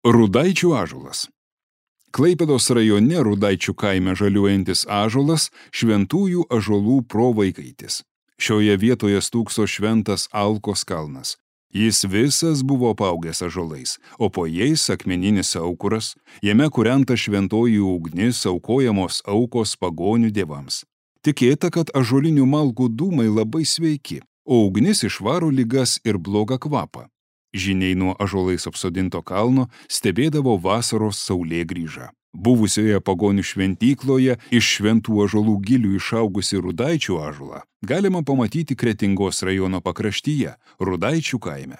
Rudaičių ąžuolas. Klaipėdos rajone Rudaičių kaime žaliuojantis ąžuolas šventųjų ąžuolų provaikaitis. Šioje vietoje stūkso šventas Alkos kalnas. Jis visas buvo apaugęs ąžuolais, o po jais akmeninis aukuras, jame kūrenta šventoji ugnis, aukojamos aukos pagonių dievams. Tikėta, kad ąžuolinių malkų dūmai labai sveiki, o ugnis išvaro ligas ir blogą kvapą. Žyniai nuo ąžuolais apsodinto kalno stebėdavo vasaros saulėgrįžą. Buvusioje pagonių šventykloje iš šventų ąžuolų gilių išaugusi Rudaičių ąžuolą galima pamatyti Kretingos rajono pakraštyje, Rudaičių kaime.